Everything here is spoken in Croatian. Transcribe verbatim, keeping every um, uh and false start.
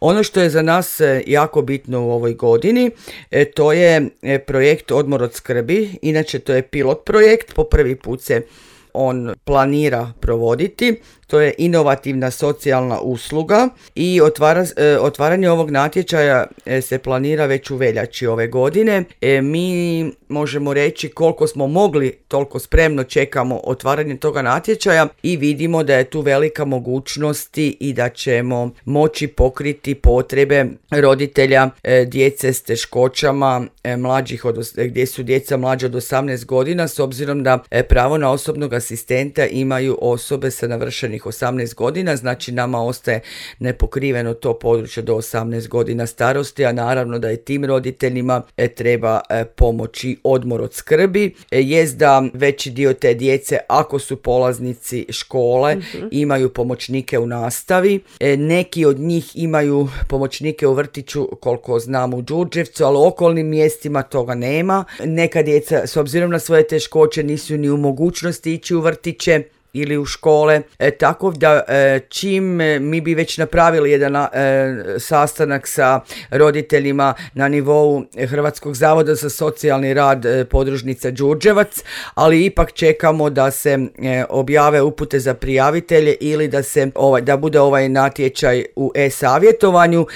Ono što je za nas jako bitno u ovoj godini, to je projekt Odmor od skrbi. Inače, to je pilot projekt, po prvi put se on planira provoditi. To je inovativna socijalna usluga i otvara, otvaranje ovog natječaja se planira već u veljači ove godine. E, mi možemo reći koliko smo mogli, toliko spremno čekamo otvaranje toga natječaja i vidimo da je tu velika mogućnosti i da ćemo moći pokriti potrebe roditelja e, djece s teškoćama, e, mlađih od, gdje su djeca mlađa od osamnaest godina, s obzirom da e, pravo na osobnog asistenta imaju osobe sa navršenih osamnaest godina, znači nama ostaje nepokriveno to područje do osamnaest godina starosti, a naravno da je tim roditeljima e, treba e, pomoći odmor od skrbi. E, jest da veći dio te djece, ako su polaznici škole, mm-hmm. imaju pomoćnike u nastavi. E, neki od njih imaju pomoćnike u vrtiću, koliko znam u Đurđevcu, ali u okolnim mjestima toga nema. Neka djeca, s obzirom na svoje teškoće, nisu ni u mogućnosti ići u vrtiće ili u škole, e, tako da e, čim e, mi bi već napravili jedan e, sastanak sa roditeljima na nivou Hrvatskog zavoda za socijalni rad e, podružnica Đurđevac, ali ipak čekamo da se e, objave upute za prijavitelje ili da se ovaj, da bude ovaj natječaj u e-savjetovanju,